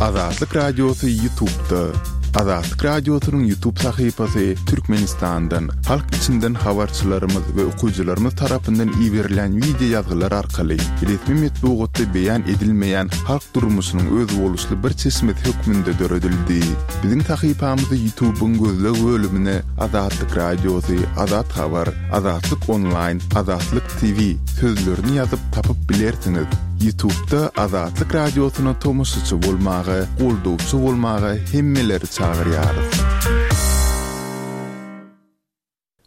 Azatlyk Radiosy Ýutubda. Azatlyk Radiosynyň Ýutub sahypasy Türkmenistandan, halk içinden habarçylarymyz we okyjylarymyz tarapyndan iberilýän wideo ýazgylar arkaly resmi metbugatda beýan edilmeýän halk durmuşynyň özboluşly bir çeşmesi hökmünde döredildi. Biziň sahypamyzy Ýutubyň gözleg bölümine Azatlyk Radiosy, Azat Habar, Azatlyk Onlaýn, Azatlyk TV sözlerini ýazyp tapyp bilersiňiz. Ýutubda Azatlyk Radiosyna tomaşaçy bolmaga, goldawçy bolmaga hemmeleri çagyrýarys.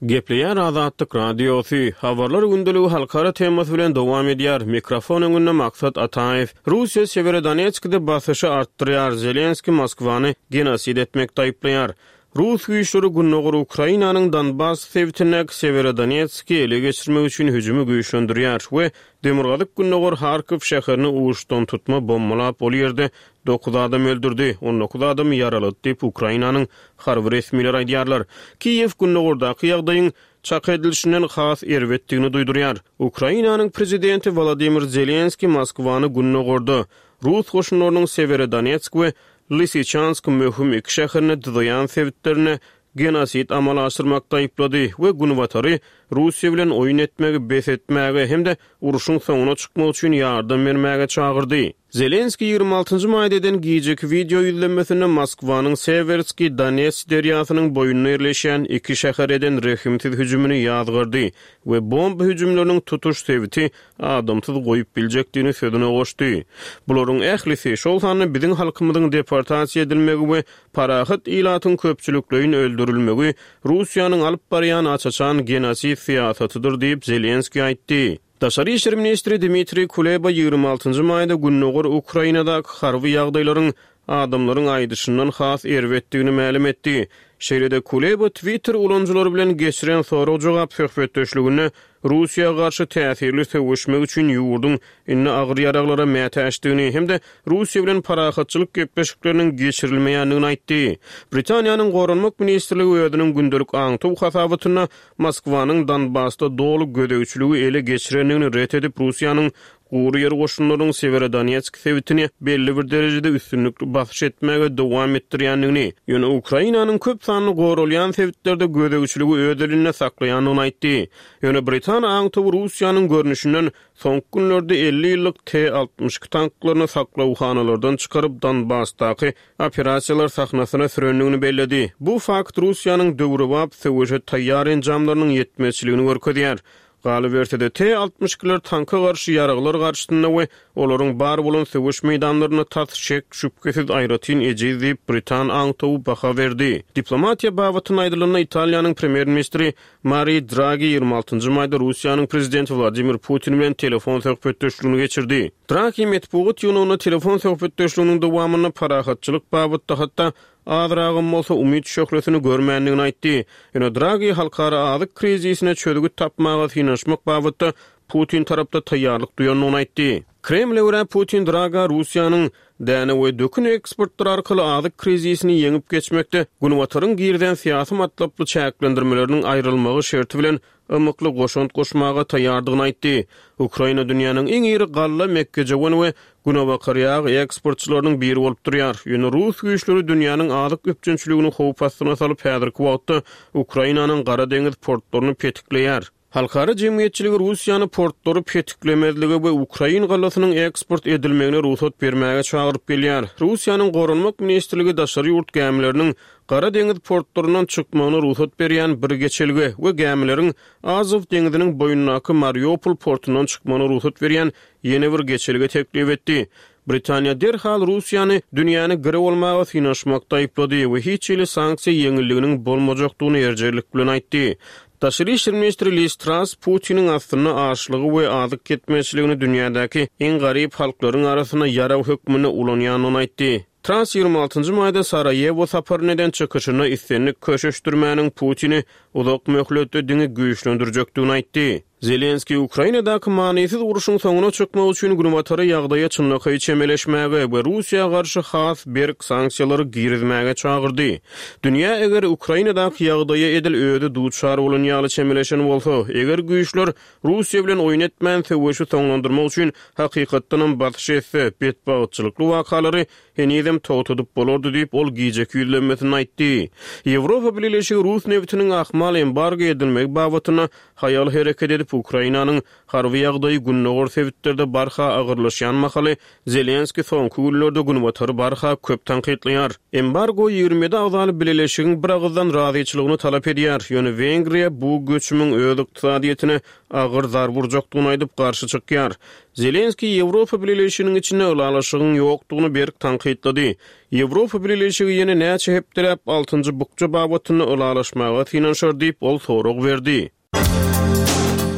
Gepleýär Azatlyk Radiosy, Habarlar gündeligi halkara temasy bilen dowam edýär. Mikrofon öňünde Maksat Ataýew. Russiýa Sewerodonetskde basyşy artdyrýar, Zelenskiý Moskwany genosid etmekde aýyplaýar. Rus güýçleri gündogar Ukrainanyň Donbass sebitindäki Sewerodonetski ele geçirmek üçin hüjümi güýçlendirýär we demirgazyk-gündogar Harkow şäherini uçdantutma bombalap, ol ýerde dokuz adam öldürdi, 19 adamy ýaralady diýip, Ukrainanyň harby resmileri aýdýarlar. Kiýew gündogardaky ýagdaýyň çak edilişinden has erbetdigini duýdurýar. Ukrainanyň prezidenti Wolodymyr Zelenskiý Moskwany gündogarda, rus goşunlarynyň Sewerodonetsk we Lysyçansk möhüm iki şäherine dyzaýan sebitlerinde genosid amala aşyrmakda aýyplady we Günbatary Russiýa bilen oýun etmegi bes etmäge hem-de urşuň soňuna çykmak üçin ýardam bermäge çagyrdy. Zelenskiý 26 njy maýda eden gijeki wideo ýüzlenmesinde Moskwanyň Sewerskiý Donets derýasynyň boýunda ýerleşýän iki şähere eden rehimsiz hüjümini ýazgardy we bomba hüjümleriniň tutuş sebiti adamsyz goýup biljekdigini sözüne goşdy. Bularyň ählisi, şol sanda biziň halkymyzyň deportasiýa edilmegi we parahat ilatyň köpçülikleýin öldürilmegi Russiýanyň alyp barýan aç-açan genosid syýasatydyr diýip, Zelenskiý aýtdy. Daşary işler ministri Dmitriý Kuleba 26 njy maýda gündogar Ukrainadaky harby ýagdaýlaryň adamlaryň aýdyşyndan has erbetdigini mälim etdi. Şeýle-de Kuleba Twitter ulanyjylary bilen geçiren sorag-jogap söhbetdeşliginde Russiýa garşy täsirli söweşmek üçin ýurduň indi agyr ýaraglara mätäçdigini hem-de Russiýa bilen parahatçylyk gepleşikleriniň geçirilmeýändigini aýtdy. Britaniýanyň Goranmak ministrligi özüniň gündelik aňtaw hasabatynda Moskwanyň Donbasda doly gözegçiligi ele geçirendigini ret edip, Russiýanyň Gury ýer goşunlarynyň Sewerodonetsk sebitini belli bir derejede üstünlikli basyş etmäge dowam etdirýändigini, ýöne Ukrainanyň köp sanly goralýan sebitlerde gözegçiligi öz elinde saklaýandygyny aýtdy. Ýöne britan aňtawy Russiýanyň görnüşinden soňky günlerde 50 ýyllyk T-62 tanklaryny saklawhanalardan çykaryp Donbasdaky operasiýalar sahnasyna sürendigini belledi. Bu fakt Russiýanyň döwrebap söweşe taýýar enjamlarynyň ýetmezçiligini görkezýär. Galyberse-de, T-62-ler tanka garşy ýaraglar garşysynda we olaryň bar bolan söweş meýdanlarynda tas şek-şübhesiz aýratyn ejiz diýip, britan aňtawy baha berdi. Diplomatiýa babatynda aýdylanda, Italiýanyň premýer-ministri Mari Dragi 26 maýda Russiýanyň prezidenti Wladimir Putin bilen telefon söhbetdeşligini geçirdi. Dragi metbugat ýygnagynda telefon söhbetdeşliginiň dowamynda parahatçylyk babatda hatda azragam bolsa umyt şöhlesini görmändigini aýtdy. Ýöne Dragi halkara azyk krizisine çözgüt tapmaga synanyşmak babatda Putin tarapda taýýarlyk duýandygyny aýtdy. Kremle görä, Putin Draga Russiýanyň däne we dökün eksportlary arkaly azyk krizisini ýeňip geçmekde Günbataryň girizen syýasy matlaply çäklendirmeleriniň aýrylmagy şerti bilen ymykly goşant goşmaga taýýardygyny aýtdy. Ukraina dünýäniň iň iri galla, mekgejöwen we günebakar ýag eksportçylarynyň biri bolup durýar. Ýöne rus güýçleri dünýäniň azyk üpjünçiligini howp astyna salyp, häzirki wagtda Ukrainanyň Gara deňiz portlaryny petikleýär. Halkara jemgyýetçiligi Russiýany portlary petiklemezlige we ukrain gallasynyň eksport edilmegine rugsat bermäge çagyryp gelýär. Russiýanyň Goranmak ministrligi daşary ýurt gämileriniň Gara deňiz portlaryndan çykmagyna rugsat berýän bir geçelge we gämileriň Azow deňziniň boýundaky Mariupol portundan çykmagyna rugsat berýän ýene bir geçelge teklip etdi. Britaniýa derhal Russiýany dünýäni girew almaga synanyşmakda aýyplady we hiç hili sanksiýa ýeňilliginiň bolmajakdygyny erjellik bilen aýtdy. Daşary işler ministri Liz Trass Putiniň aslynda açlygy we azyk ýetmezçiligini dünýädäki iň garyp halklaryň arasynda ýarag hökmünde ulanýandygyny aýtdy. Trass 26 nji maýda Saraýewo saparyna eden çykyşynda islendik köşeşdirmäniň Putini uzak möhletde diňe güýçlendirjekdigini aýtdy. Zelenskiý Ukrainadaky manysyz urşuň soňuna çykmak üçin Günbatary ýagdaýa çynlakaý çemeleşmäge we Russiýa garşy has berk sanksiýalary girizmäge çagyrdy. Dünýä eger Ukrainadaky ýagdaýa edil özi duçar bolan ýaly çemeleşen bolsa, eger güýçler Russiýa bilen oýun etmän söweşi soňlandyrmak üçin hakykatdanam basyş etse, betbagtçylykly wakalary henizem togtadyp bolardy diýip, ol gijeki ýüzlenmesinde aýtdy. Ýewropa Bileleşigi rus nebitiniň ahmal embargo edilmegi babatynda haýal hereket edip, Ukrainanyň harby ýagdaýy gündogar sebitlerde barha agyrlaşýan mahaly, Zelenskiý soňky günlerde Günbatary barha köp tankytlaýar. Embargo 27 agzaly bileleşigiň bir agyzdan razyçylygyny talap edýär, ýöne Wengriýa bu göçümiň öz ykdysadyýetine agyr zarba urjakdygyny aýdyp, garşy çykýar. Zelenskiý Ýewropa Bileleşiginiň içinde ylalaşygyň ýokdugyny berk tankytlady. Ýewropa Bileleşigi ýene näçe hepdeläp altynjy bukja babatynda ylalaşmaga synanyşar diýip, ol sorag berdi.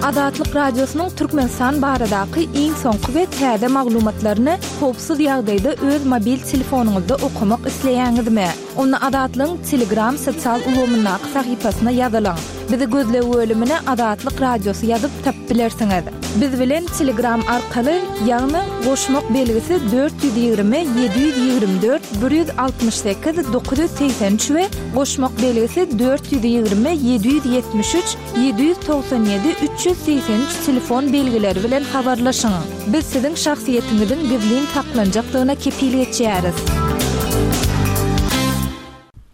Azatlyk Radiosynyň Türkmenistan baradaky iň soňky we täze maglumatlaryny howpsuz ýagdaýda öz mobil telefonyňyzda okamak isleýäňizmi? Onda Azatlygyň Telegram sosial ulgamyndaky sahypasyna ýazylyň. Bizi gözleg bölümine Azatlyk Radiosy ýazyp tapyp bilersiňiz. Biz bilen Telegram arkaly, ýagny goşmak belgisi 420 724 168 983 we goşmak belgisi 420 773 797 383 telefon belgileri bilen habarlaşyň. Biz siziň şahsyýetiňiziň gizlin saklanjakdygyna kepil geçýäris.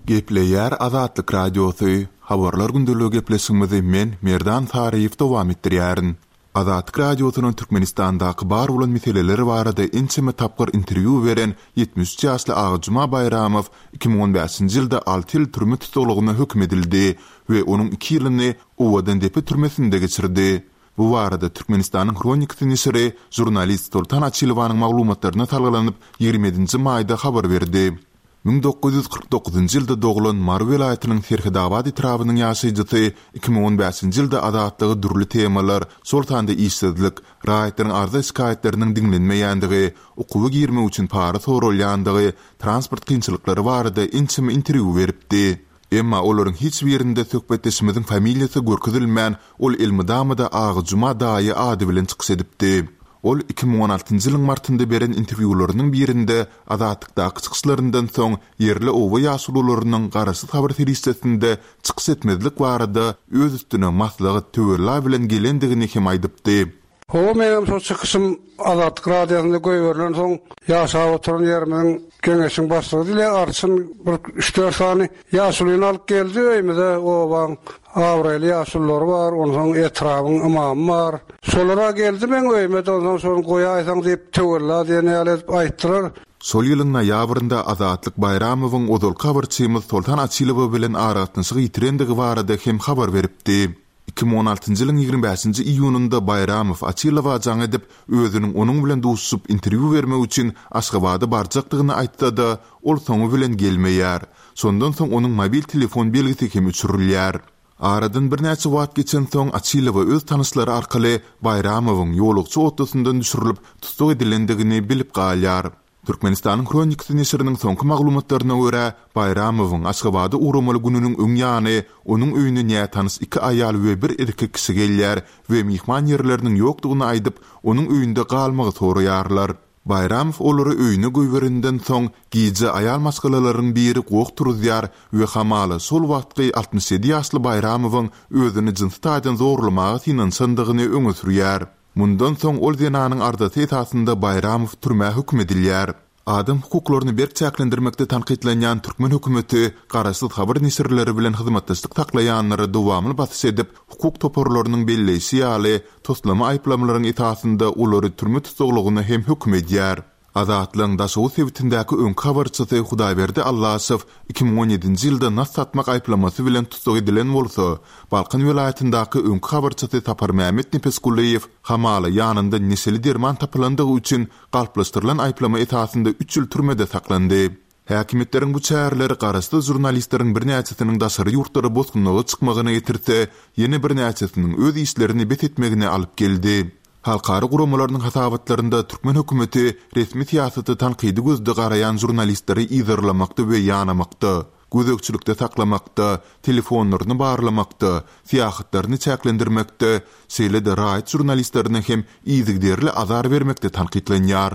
Gepleýär Azatlyk Radiosy, Habarlar gündeligi gepleşigimizi men, Merdan Saryýew dowam etdirýärin. Azatlyk Radiosyna Türkmenistandaky bar bolan meseleler barada ençeme tapgyr interwýu beren 73 ýaşly Agajuma Baýramow 2015-nji ýylda alty ýyl türme tussaglygyna höküm edildi we onuň iki ýylyny Owadandepe türmesinde geçirdi. Bu barada Türkmenistanyň Hronikasy neşiri žurnalist Soltan Açylowanyň maglumatlaryna salgylanyp, 27-nji maýda habar berdi. 1949-njy ýylda doglan Mary welaýatynyň Serhetabat etrabynyň ýaşaýjysy 2015-nji ýylda Azatlyga dürli temalar, şol sanda işsizlik, raýatlaryň arza-şikaýatlarynyň diňlenmeýändigi, okuwa girmek üçin para soralýandygy, transport kynçylyklary barada ençeme interwýu beripdi. Emma olaryň hiç birinde söhbetdeşimiziň familiýasy görkezilmän, ol elmydama-da Agajuma daýy ady bilen çykyş edipdi. Ol 2016-njy ýylyň martynda beren interwýularynyň birinde Azatlykdaky çykyşlaryndan soň ýerli oba ýaşulularynyň garaşsyz habar serişdesinde çykyş etmezlik barada öz üstüne maslahat, töwella bilen gelendigini hem aýdypdy. Hawa, meňem şol çykyşym Azatlyk Radiosynda goýberilensoň, ýaşap oturan ýerimiziň Geňeşiň başlygy Dile arçyn bir üç-dört sany ýaşulyny alyp geldi öýümize, obaň abraýly ýaşululary bar, onsoň etrabyň ymamy bar. Şolar-a geldi meň öýüme-de, onsoň şony goýaýsaň diýip, töwella diýen ýaly edip aýtdylar. Şol ýylyň noýabrynda Azatlyk Baýramowyň ozalky habarçymyz Soltan Açylowa bilen aragatnaşygy ýitirendigi barada hem habar beripdi. 2016-njy ýylyň 25-nji iýunynda Baýramow Açylowa jaň edip, özüniň onuň bilen duşuşyp interwýu bermek üçin Aşgabada barjakdygyny aýtsa-da, ol soňy bilen gelmeýär. Şondan soň onuň mobil telefon belgisi hem öçürilýär. Aradan birnäçe wagt geçensoň, Açylowa öz tanyşlary arkaly Baýramowyň ýolagçy otlusyndan düşürilip, tussag edilendigini bilip galýar. Türkmenistanyň Hronikasy neşiriniň soňky maglumatlaryna görä, Baýramowyň Aşgabada ugramaly gününiň öň ýany onuň öýüne nätanyş iki aýal we bir erkek kişi gelýär we myhman ýerleriniň ýokdugyny aýdyp, onuň öýünde galmagy soraýarlar. Baýramow olary öýüne goýberenden soň, gije aýal maşgalalaryň biri goh turuzýar we hamala şol wagtky 67 ýaşly Baýramowyň özüni jynsy taýdan zorlamaga synanyşandygyny öňe sürýär. Mundan soň ol zenanyň arzasy esasynda Baýramow türmä höküm edilýär. Adam hukuklaryny berk çäklendirmekde tankytlanýan türkmen hökümeti garaşsyz habar neşirleri bilen hyzmatdaşlyk saklaýanlara dowamly basyş edip, hukuk toparlarynyň belleýşi ýaly, toslama aýyplamalaryň esasynda olary türme tussaglygyna hem höküm edýär. Azatlygyň Daşoguz sebitindäki öňki habarçysy Hudaýberdi Allaşow 2017-nji ýylda nas satmak aýyplamasy bilen tussag edilen bolsa, Balkan welaýatyndaky öňki habarçysy Saparmämmet Nepesgulyýew hamala ýanynda neşeli derman tapylandygy üçin galplaşdyrylan aýyplama esasynda üç ýyl türmede saklandy. Häkimiýetleriň bu çäreleri garaşsyz žurnalistleriň birnäçesiniň daşary ýurtlara bosgunlyga çykmagyna getirse, ýene birnäçesiniň öz işlerini bes etmegine alyp geldi. Halkara guramalarynyň hasabatlarynda türkmen hökümeti resmi syýasata tankydy gözde garaýan žurnalistleri yzarlamakda we ýanamakda. gözegçilikde saklamakda, telefonlaryny barlamakda, syýahatlaryny çäklendirmekde, şeýle-de raýat žurnalistlerine hem yzygiderli azar bermekde tankytlanýar.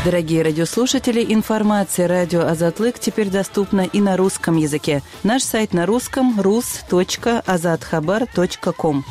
Дорогие радиослушатели, информация радио Азатлык теперь доступна и на русском языке. Наш сайт на русском rus.azathabar.com.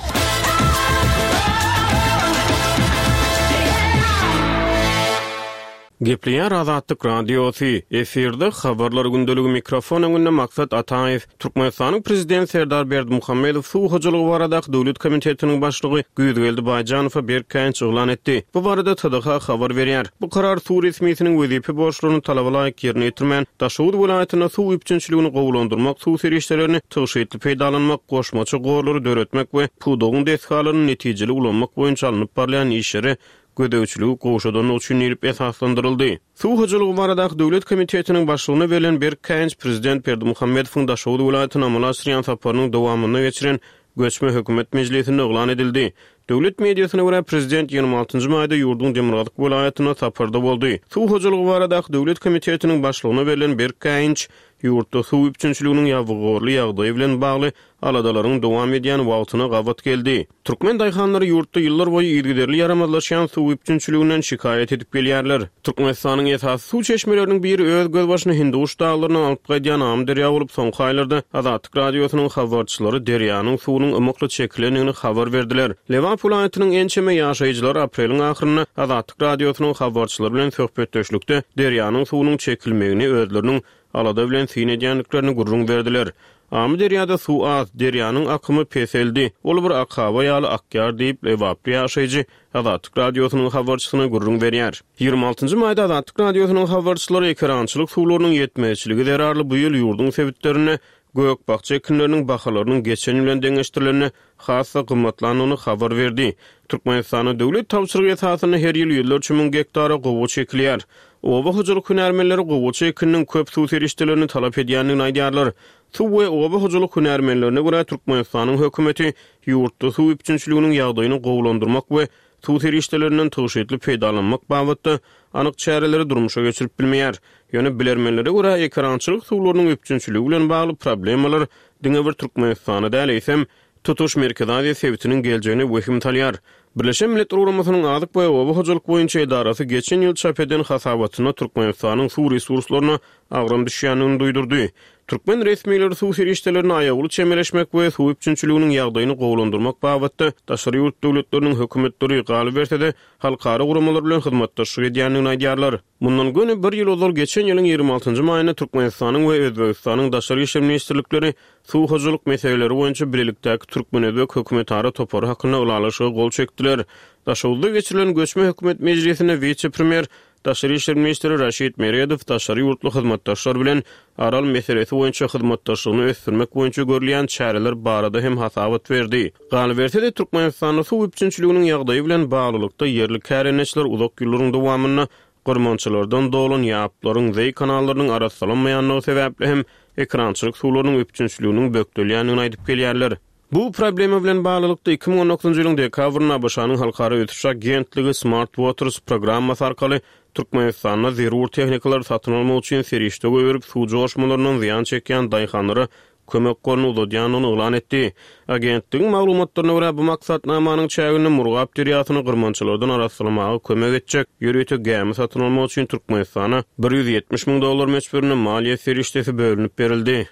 Gepleýär Azatlyk Radiosy, efirde Habarlar gündeligi mikrofon öňünde Maksat Ataýew. Türkmenistanyň Prezidenti Serdar Berdimuhamedow Suw hojalygy baradaky döwlet komitetiniň başlygy Güýzgeldi Baýjanowa berk käýinç yglan etdi. Bu barada TDH habar berýär. Bu karar suw resmisiniň wezipe borçlaryny talaba laýyk ýerine ýetirmän, Daşoguz welaýatynda suw üpjünçiligini gowulandyrmak, suw serişdelerini tygşytly peýdalanmak, goşmaça gorlary döretmek we pudagyň desgalaryny netijeli ulanmak boýunça alnyp barylýan işlere gözegçiligi gowşadandygy üçin diýlip esaslandyryldy. Suw hojalygy baradaky döwlet komitetiniň başlygyna berlen berk käýinç prezident Berdimuhamedowyň Daşoguz welaýatyna amala aşyrýan saparynyň dowamynda geçiren göçme hökümet mejlisinde yglan edildi. Döwlet mediasyna görä, prezident 26 nji maýda ýurduň demirgazyk welaýatynda saparda boldy. Suw hojalygy baradaky döwlet komitetiniň başlygyna berlen berk käýinç ýurtda suw üpjünçiliginiň ýabygorly ýagdaýy bilen bagly aladalaryň dowam edýän wagtyna gabat geldi. Türkmen daýhanlary ýurtda ýyllarboýy yzygiderli ýaramazlaşýan suw üpjünçiliginden şikaýat edip gelýärler. Türkmenistanyň esasy suw çeşmeleriniň biri öz gözbaşyny Hindiguş daglaryndan alyp gaýdýan Amyderýa bolup, soňky aýlarda Azatlyk Radiosynyň habarçylary derýanyň suwunyň ymykly çekilendigini habar berdiler. Lebap welaýatynyň ençeme ýaşaýjylary apreliň ahyrynda Azatlyk Radiosynyň habarçylary bilen söhbetdeşlikde derýanyň suwunyň çekilmegini özleriniň alada bilen syn edýändiklerini gürrüň berdiler. Amyderýada suw az, derýanyň akymy peseldi, ol bir akaba ýaly akýar diýip, lebaply ýaşaýjy Azatlyk Radiosynyň habarçysyna gürrüň berýär. 26 nji maýda Azatlyk Radiosynyň habarçylary ekerançylyk suwlarynyň ýetmezçiligi zerarly bu ýyl ýurduň sebitlerinde gök-bakja ekinleriniň bahalarynyň geçen ýyl bilen deňeşdirilende has-da gymmatlandygyny habar berdi. Türkmenistanda döwlet tabşyrygy esasynda her ýyl ýüzlerçe müň gektara gowaça ekilýär. Oba hojalyk hünärmenleri gowaça ekininiň köp suw serişdelerini talap edýändigini aýdýarlar. Suw we oba hojalyk hünärmenlerine görä, Türkmenistanyň hökümeti ýurtda suw üpjünçiliginiň ýagdaýyny gowulandyrmak we suw serişdelerinden tygşytly peýdalanmak babatda anyk çäreleri durmuşa geçirip bilmeýär. Ýöne bilermenlere görä, ekerançylyk suwlarynyň üpjünçiligi bilen bagly problemalar diňe bir Türkmenistana däl, eýsem, tutuş Merkezi Aziýa sebitiniň geljegine wehim salýar. Birleşen Milletler Guramasynyň Azyk we oba hojalyk boýunça edarasy geçen ýyl çap eden hasabatynda Türkmenistanyň suw resurslaryna agram düşýändigini duýdurdy. Türkmen resmileri suw serişdelerine aýawly çemeleşmek we suw üpjünçiliginiň ýagdaýyny gowulandyrmak babatda daşary ýurt döwletleriniň hökümetleri, galyberse-de, halkara guramalar bilen hyzmatdaşlyk edýändigini aýdýarlar. Mundan göni bir ýyl ozal, geçen ýylyň 26 njy maýynda Türkmenistanyň we Özbegistanyň Daşary işler ministrlikleri suw hojalyk meseleleri boýunça bilelikdäki türkmen-özbek hökümetara topary hakynda ylalaşyga gol çekdiler. Daşoguzda geçirilen göçme hökümet mejlisinde wise-premýer, daşary işler ministri Raşid Meredow daşary ýurtly hyzmatdaşlar bilen Aral meselesi boýunça hyzmatdaşlygyny ösdürmek boýunça görülýän çäreler barada hem hasabat berdi. Galyberse-de, Türkmenistanda suw üpjünçiliginiň ýagdaýy bilen baglylykda ýerli kärendeçiler uzak ýyllaryň dowamynda gyrmançalardan dolan ýaplaryň, zeý kanallarynyň arassalanmaýandygy sebäpli hem ekerançylyk suwlarynyň üpjünçiliginiň bökdelýändigini aýdyp gelýärler. Bu problema bilen baglylykda, 2019-njy ýylyň dekabrynda ABŞ-nyň Halkara ösüş agentligi Smart Waters programmasy arkaly Türkmenistanda zerur tehnikalary satyn almak üçin serişde goýberip, suw joşmalaryndan zyýan çekýän daýhanlara kömek goluny uzadýandygyny yglan etdi. Agentligiň maglumatlaryna görä, bu maksatnamanyň çäginde Murgap derýasyny gyrmançalardan arassalamaga kömek etjek ýörite gämi satyn almak üçin Türkmenistana 170 müň dollar möçberinde maliýe serişdesi bölünip berildi.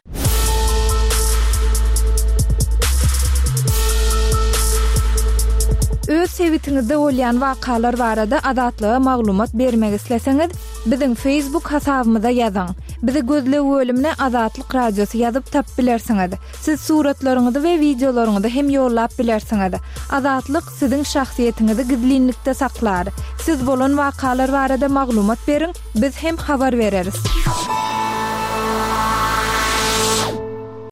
Öz sebitiňizde bolýan wakalar barada Azatlyga maglumat bermek isleseňiz, biziň Facebook hasabymyza ýazyň. Bizi gözleg bölümine Azatlyk Radiosy ýazyp tapyp bilersiňiz. Siz suratlaryňyzy we wideolaryňyzy hem ýollap bilersiňiz. Azatlyk siziň şahsyýetiňizi gizlinlikde saklar. Siz bolan wakalar barada maglumat beriň, biz hem habar bereris.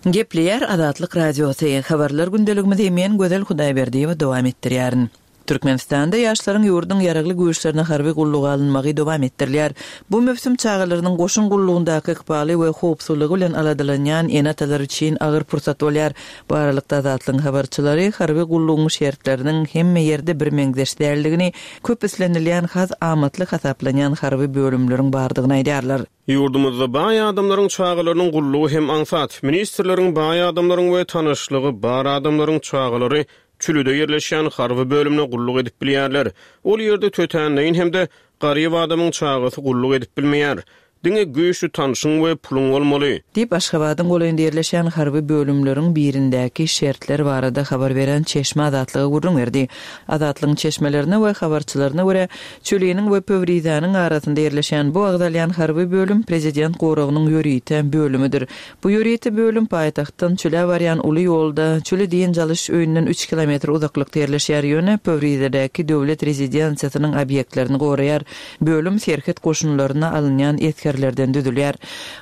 Gepleýär Azatlyk Radiosy, Habarlar gündeligimizi men Gözel Hudaýberdiýewa dowam etdirýärin. Türkmenistanda ýaşlaryň ýurduň Ýaragly Güýçlerine harby gulluga alynmagy dowam etdirilýär. Bu möwsüm çagalarynyň goşun gullugyndaky ykbaly we howpsuzlygy bilen aladalanýan ene-atalar üçin agyr pursat bolýar. Bu aralykda Azatlygyň habarçylary harby gullugyň şertleriniň hemme ýerde birmeňzeş däldigini, köp islenilýän has amatly hasaplanýan harby bölümleriň bardygyny aýdýarlar. Ýurdumyzda baý adamlaryň çagalarynyň gullugy hem aňsat. Ministrleriň, baý adamlaryň we tanyşlygy bar adamlaryň çagalary Çülide ýerleşýän harby bölümde gulluk edip bilýärler. Ol ýerde tötänleýin hem-de garyp adamyň çagasy gulluk edip bilmeýär. Diňe güýçli tanşyň we puluň bolmaly. Diýip, Aşgabadyň golaýynda ýerleşýän harby bölümleriň birindäki şertler barada habar beren çeşme Azatlyga gürrüň berdi. Azatlygyň çeşmelerine we habarçylaryna görä, Çüliniň we Pöwrizäniň arasynda ýerleşýän bu agzalýan harby bölüm prezident goragynyň ýörite bölümidir. Bu ýörite bölüm paýtagtdan Çülä barýan uly ýolda, Çüli dynç alyş öýünden üç kilometr uzaklykda ýerleşýär, ýöne Pöwrizedäki döwlet rezidensiýasynyň obýektlerini goraýar. Bölüm serhet goşunlaryna alynýan esgerlerden düzülýär.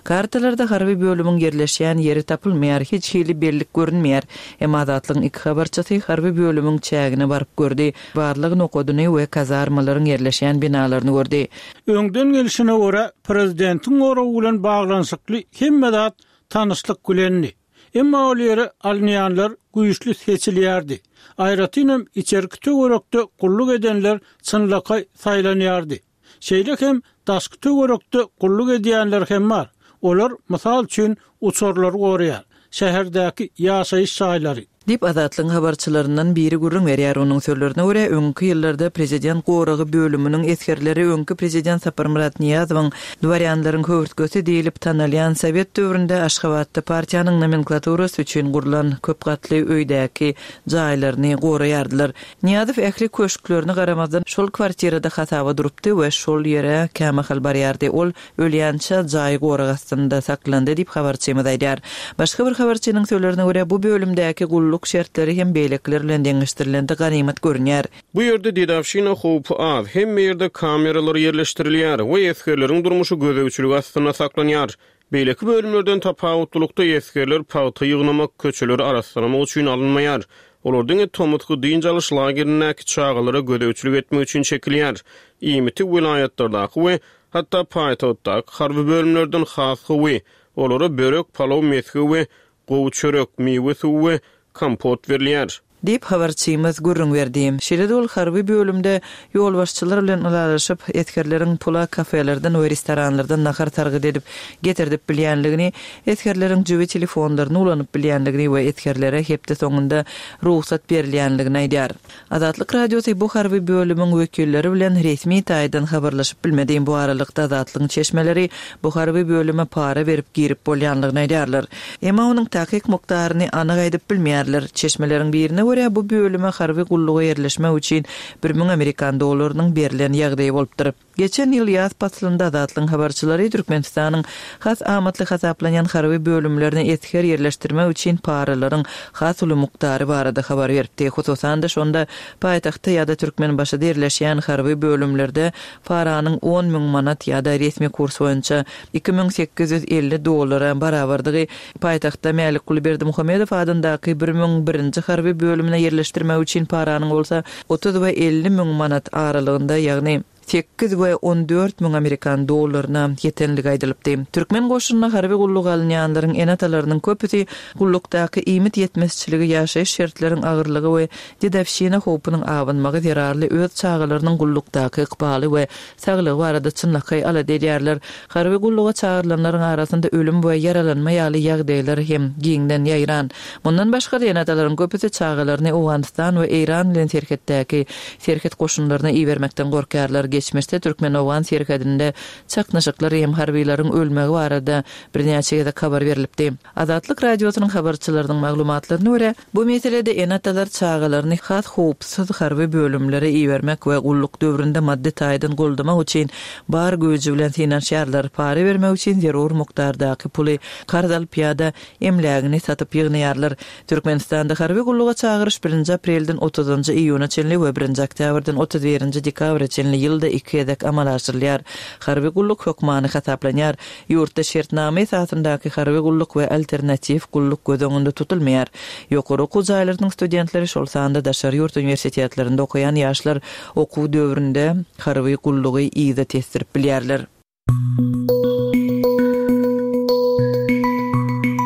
Kartalarda harby bölümiň ýerleşýän ýeri tapylmaýar, hiç hili bellik görünmeýär. Emma Azatlygyň iki habarçysy harby bölümiň çägine baryp gördi, barlag nokadyny we kazarmalaryň ýerleşýän binalaryny gördi. Öňden gelşine görä, prezidentiň goragy bilen baglanyşykly hemme zat tanyşlyk bilendi. Emma ol ýere alynýanlar güýçli seçilýärdi. Aýratynam içerki töwerekde gulluk edenler çynlakaý saýlanýardy. Şeýle hem daşky töwerekde gulluk edýänler hem bar. Olar, mysal üçin, uçarlary goraýar, şäherdäki ýaşaýyş jaýlary. Diýip, Azatlygyň habarçylaryndan biri gürrüň berýär. Onuň sözlerine görä, öňki ýyllarda prezident goragy bölüminiň esgerleri öňki prezident Saparmyrat Nyýazowyň dworýanlaryň höwürtgesi diýlip tanalýan sowet döwründe Aşgabatda partiýanyň nomenklaturasy üçin gurlan köp gatly öýdäki jaýlaryny goraýardylar. Nyýazow ähli köşklerine garamazdan şol kwartirada hasaba durupdy we şol ýere kämahal barýardy. Ol Ölýänçä jaý gorag astynda saklandy diýip, habarçymyz aýdýar. Başga bir habarçynyň sözlerine görä, bu bölümdäki gulluk şertleri hem beýlekiler bilen deňeşdirilende ganymat görünýär. Bu ýerde dedowşina howpy az, hemme ýerde kameralar ýerleşdirilýär we esgerleriň durmuşy gözegçilik astynda saklanýar. Beýleki bölümlerden tapawutlylykda esgerler pagta ýygnamak, köçeleri arassalamak üçin alynmaýar. Olar diňe tomusky dynç alyş lagerindäki çagalara gözegçilik etmek üçin çekilýär. Iýmiti welaýatlardaky we Hatda paýtagtdaky harby bölümlerden has gowy. Olara börek, palaw, mesge we gowy çörek, miwe suwy we kompot berilýär. Diýip, habarçymyz gürrüň berdi. Şeýle-de ol harby bölümde ýolbaşçylar bilen ylalaşyp, esgerleriň pula kafelerden we restoranlardan nahar sargyt edip, getirdip bilýänligini, esgerleriň jübi telefonlaryny ulanyp bilýänligini we esgerlere hepde soňunda rugsat berilýänligini aýdýar. Azatlyk Radiosy bu harby bölümiň wekilleri bilen resmi taýdan habarlaşyp bilmedi. Bu aralykda Azatlygyň çeşmeleri bu harby bölüme para berip girip bolýanlygyny aýdýarlar. Emma onuň takyk mukdaryny anyk aýdyp bilmeýärler. Çeşmeleriň birine görä, bu bölüme harby gulluga ýerleşmek üçin 1000 amerikan dollarynyň berlen ýagdaýy bolupdyr. Geçen ýyl ýaz paslynda Azatlygyň habarçylary Türkmenistanyň has amatly hasaplanýan harby bölümlerine esger ýerleşdirmek üçin paralaryň has uly mukdary barada habar beripdi. Hususan-da, şonda paýtagtda ýa-da Türkmenbaşyda ýerleşýän harby bölümlerde paranyň 10 mün manat ýa-da resmi kurs boýunça 2850 dollara barabardygy, paýtagtda Mälikguly Berdimuhamedow adyndaky 1001-nji harby bölümine ýerleşdirmek üçin paranyň bolsa 30 we 50 müň manat aralygynda, ýagny 8 we 14 müň amerikan dollaryna ýetenligi aýdylypdy. Türkmen goşunyna harby gulluga alynýanlaryň ene-atalarynyň köpüsi gullukdaky iýmit ýetmezçiligi, ýaşaýyş şertleriň agyrlygy we dedowşina howpunyň abanmagy zerarly öz çagalarynyň gullukdaky ykbaly we saglygy barada çynlakaý alada edýärler. Harby gulluga çagyrylanlaryň arasynda ölüm we ýaralanma ýaly ýagdaýlar hem giňden ýaýran. Mundan başga-da, ene-atalaryň köpüsi çagalaryny Owganystan we Eýran bilen serhetdäki serhet goşunlaryna ibermekden gorkýarlar. Geçmişde türkmen-owgan serhedinde çaknyşyklar hem harbylaryň ölmegi barada birnäçe gezek habar berlipdi. Azatlyk Radiosynyň habarçylarynyň maglumatlaryna görä, bu meselede ene-atalar çagalaryny has howpsuz harby bölümlere ibermek we gulluk döwründe maddy taýdan goldamak üçin bar güýji bilen synanyşýarlar, para bermek üçin zerur mukdardaky puly karz alyp ýa-da emlägini satyp ýygnaýarlar. Türkmenistanda harby gulluga çagyryş birinji aprelden otuzynjy iýuna çenli we birinji oktýabrdan 31-nji dekabra çenli ýylda. ýylda iki gezek amala aşyrylýar. Harby gulluk hökmany hasaplanýar. Ýurtda şertnama esasyndaky harby gulluk we alternatiw gulluk göz öňünde tutulmaýar. Ýokary okuw jaýlarynyň studentleri, şol sanda daşary ýurt uniwersitetlerinde okaýan ýaşlar okuw döwründe harby gullugy yza tesdirip bilýärler.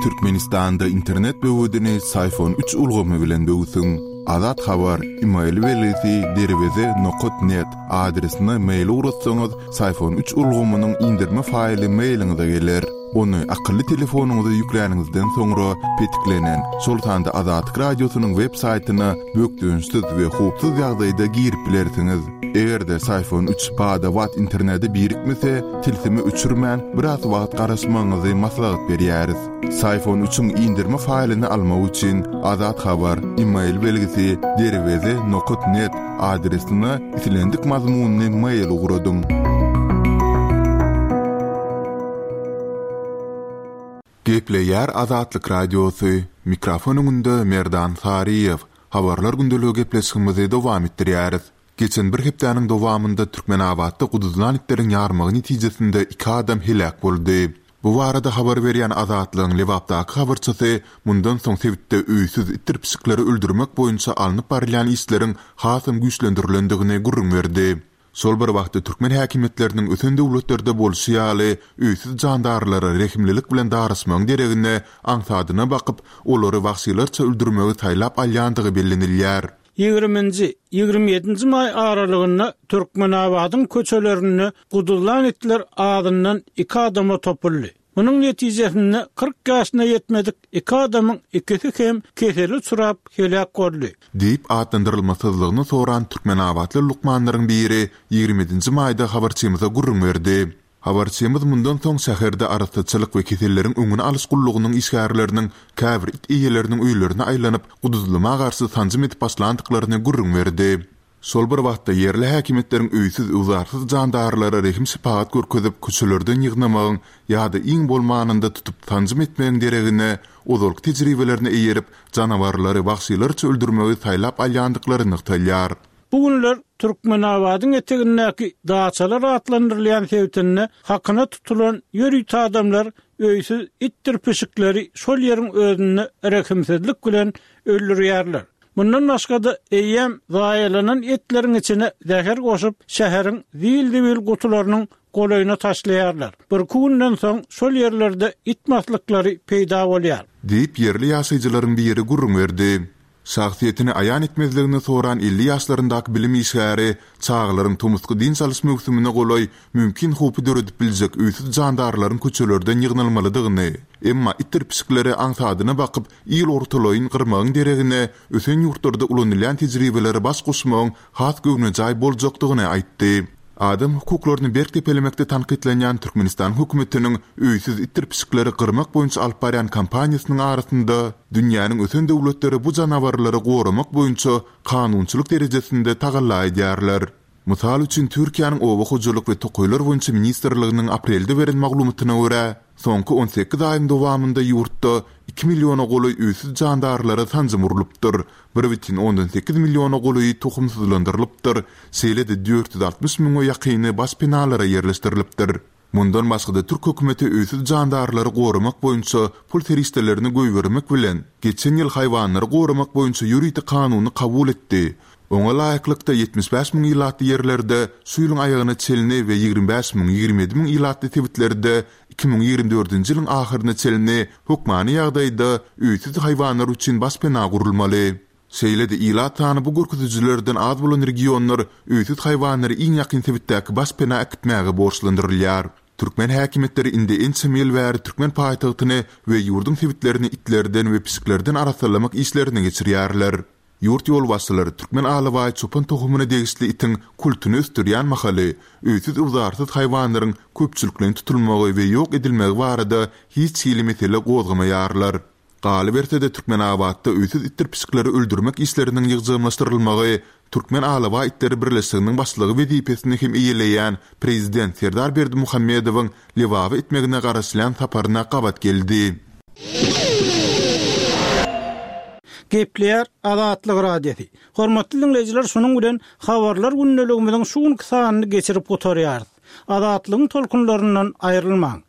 Türkmenistanda internet böwedini Syfon üç ulgamy bilen böwsüň. Azat Habar, email belgisi derweze nokat net adresine mail ugratsaňyz, Syfon üç ulgamynyň indirme faýly mailiňize geler. Ony akylly telefonyňyza ýükläniňizden soňra petiklenen, şol sanda Azatlyk Radiosynyň web saýtyna bökdençsiz we howpsuz ýagdaýda girip bilersiňiz. Eger-de Syfon üç bada-bat internete birikmese, tilsimi öçürmän, biraz wagt garaşmagyňyzy maslahat berýäris. Syfon üçiň indirme faýlyny almak üçin Azat Habar, email belgisi derweze nokat net adresine islendik mazmunly mail ugradyň. Gepleýär Azatlyk Radiosy, mikrofon öňünde Merdan Saryýew. Habarlar gündeligi gepleşigimizi dowam etdirýäris. Geçen bir hepdäniň dowamynda Türkmenabatda guduzlan itleriň ýarmagy netijesinde iki adam heläk boldy. Bu barada habar berýän Azatlygyň Lebapdaky habarçysy mundan soň sebitde öýsüz itdir pişikleri öldürmek boýunça alnyp barylýan işleriň hasam güýçlendirilendigini gürrüň berdi. Şol bir wagtda türkmen häkimiýetleriniň ösen döwletlerde bolşy ýaly öýsüz jandarlara rehimlilik bilen daraşmagyň deregine aňsadyna bakyp, olary wagşylarça öldürmegi saýlap alýandygy bellenilýär. Ýigriminji, 27-nji maý aralygynda Türkmenabadyň köçelerinde guduzlan itler azyndan iki adama topuldy. Munuň netijesinde 40 ýaşyna ýetmedik iki adamyň ikisi hem kesele uçrap heläk boldy. Diýip atlandyrylmasyzlygyny soran türkmenabatly lukmanlaryň biri 27-nji maýda habarçymyza gürrüň berdi. Habarçymyz mundan soň şäherde arassaçylyk we keselleriň öňüni alyş gullugynyň işgärleriniň käbir it eýeleriniň öýlerine aýlanyp, guduzlama garşy sanjym edip başlandyklaryny gürrüň berdi. Şol bir wagtda, ýerli häkimiýetleriň öýsüz-öwzarsyz jandarlara rehim-şepagat görkezip, köçelerden ýygnamagyň ýa-da iň bolmanynda tutup sanjym etmegiň deregine, ozalky tejribelerine eýerip, janawarlary wagşylarça öldürmegi saýlap alýandyklary nygtalýar. Bu günler Türkmenabadyň etegindäki daçalar atlandyrylýan sebitinde hakyna tutulan ýörite adamlar öýsüz itdir pişikleri şol ýeriň özünde rehimsizlik bilen öldürýärler. Mundan başga-da, eýýäm zaýalanan etleriň içine zäher goşup, şäheriň zil-zibil gutularynyň golaýyna taşlaýarlar. Birki günden soň şol ýerlerde it maslyklary peýda bolýar. Diýip, ýerli ýaşaýjylaryň biri gürrüň berdi. Şahsyýetini aýan etmezligini soran 50 ýaşlaryndaky bilim işgäri çagalaryň tomusky dynç alyş möwsümine golaý mümkin howpy döredip biljek öýsüz jandarlaryň köçelerden ýygnalmalydygyny, emma itdir pişikleri aňsadyna bakyp il ortalaýyn gyrmagyň deregine ösen ýurtlarda ulanylýan tejribelere baş goşmagyň has göwnejaý boljakdygyny aýtdy. Adam hukuklaryny berk depelemekde tankytlanýan Türkmenistanyň hökümetiniň öýsüz itdir pişikleri gyrmak boýunça alyp barýan kampaniýasynyň arasynda dünýäniň ösen döwletleri bu janawarlary goramak boýunça kanunçylyk derejesinde tagalla edýärler. Mysal üçin, Türkiýäniň Oba hojalyk we tokaýlar boýunça ministrliginiň aprelde beren maglumatyna görä, soňky 18 aýyň dowamynda ýurtda iki milliona golaý öýsüz jandarlara sanjym urlupdyr, 1,8 milliona golaýy tohumsyzlandyrylypdyr, şeýle-de 460 müňe ýakyny baş penalara ýerleşdirilipdir. Mundan başga-da türk hökümeti öýsüz jandarlary goramak boýunça pul serişdelerini goýbermek bilen, geçen ýyl haýwanlary goramak boýunça ýörite kanuny kabul etdi. Oňa laýyklykda, 75 müň ilatly ýerlerde şu ýylyň aýagyna çenli we 25 müň, 27 müň ilatly sebitlerde 2024-nji ýylyň ahyryna çenli hökmany ýagdaýda öýsüz haýwanlar üçin başpena gurulmaly. Şeýle-de ilat sany bu görkezijilerden az bolan regionlar öýsüz haýwanlary iň ýakyn sebitdäki başpena äkitmäge borçlandyrylýar. Türkmen häkimiýetleri indi ençeme ýyl bäri türkmen paýtagtyny we ýurduň sebitlerini itlerden we pişiklerden arassalamak işlerini geçirýärler. Ýurt ýolbaşçylary türkmen alabaý çopan tohumyna degişli itiň kultuny ösdürýän mahaly öýsüz-öwzarsyz haýwanlaryň köpçülikleýin tutulmagy we ýok edilmegi barada hiç hili mesele gozgamaýarlar. Galyberse-de, Türkmenabatda öýsüz itdir pişikleri öldürmek işleriniň ýygjamlaşdyrylmagy Türkmen alabaý itleri birleşiginiň başlygy wezipesini hem eýeleýän prezident Serdar Berdimuhamedowyň Lebaba etmegine garaşylýan saparyna gabat geldi. Gepleýär Azatlyk Radiosy. Hormatly diňleýjiler şunuň bilen Habarlar gündeligimiziň şu günki sanyny geçirip gutarýarys. Azatlygyň tolkunlaryndan aýrylmaň.